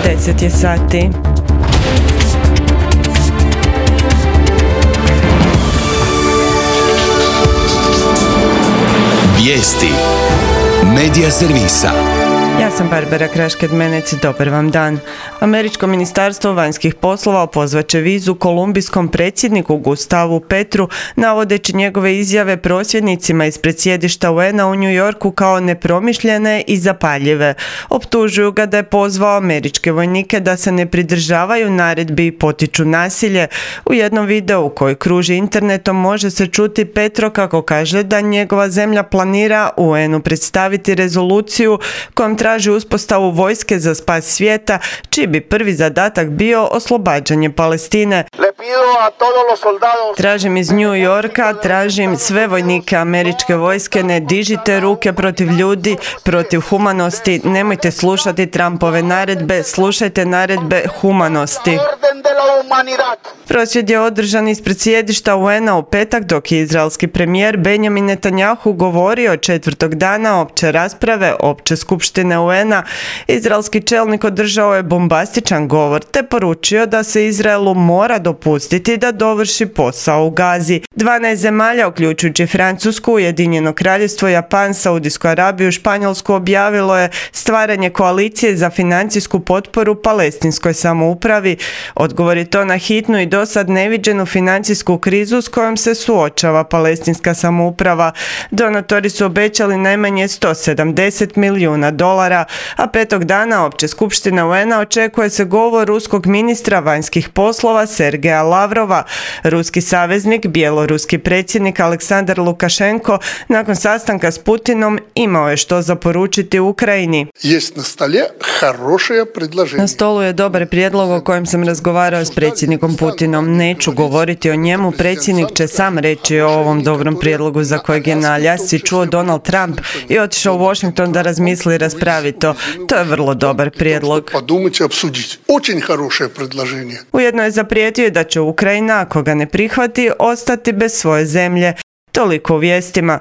10 je sati. Vijesti Medija servisa. Ja sam Barbara Krašked-Menec, dobar vam dan. Američko ministarstvo vanjskih poslova pozvaće vizu kolumbijskom predsjedniku Gustavu Petru, navodeći njegove izjave prosvjednicima ispred sjedišta UN-a u New Yorku kao nepromišljene i zapaljive. Optužuju ga da je pozvao američke vojnike da se ne pridržavaju naredbi i potiču nasilje. U jednom videu koji kruži internetom može se čuti Petro kako kaže da njegova zemlja planira UN-u predstaviti rezoluciju kojom traži uspostavu vojske za spas svijeta, čiji bi prvi zadatak bio oslobađanje Palestine. Tražim iz New Yorka, tražim sve vojnike američke vojske, ne dižite ruke protiv ljudi, protiv humanosti, nemojte slušati Trumpove naredbe, slušajte naredbe humanosti. Prosvjed je održan ispred sjedišta UN-a u petak, dok je izraelski premijer Benjamin Netanjahu govorio četvrtog dana opće rasprave opće skupštine UN-a. Izraelski čelnik održao je bombastičan govor te poručio da se Izraelu mora dopustiti da dovrši posao u Gazi. 12 zemalja, uključujući Francusku, Ujedinjeno Kraljevstvo, Japan, Saudijsku Arabiju, Španjolsku, objavilo je stvaranje koalicije za financijsku potporu palestinskoj samoupravi. Odgovor je to na hitnu i dosad neviđenu financijsku krizu s kojom se suočava palestinska samouprava. Donatori su obećali najmanje $170 milijuna, a petog dana opće skupštine UN-a očekuje se govor ruskog ministra vanjskih poslova Sergeja Lavrova. Ruski saveznik, bjeloruski predsjednik Aleksandar Lukašenko, nakon sastanka s Putinom imao je što za poručiti Ukrajini. Na stolu je dobar prijedlog o kojem sam razgovarao s predsjednikom Putinom. Neću govoriti o njemu, predsjednik će sam reći o ovom dobrom prijedlogu za kojeg je na Aljasci čuo Donald Trump i otišao u Washington da razmisli i raspravi to. To je vrlo dobar prijedlog. Ujedno je zaprijetio da će Ukrajina, ako ga ne prihvati, ostati bez svoje zemlje. Toliko u vijestima.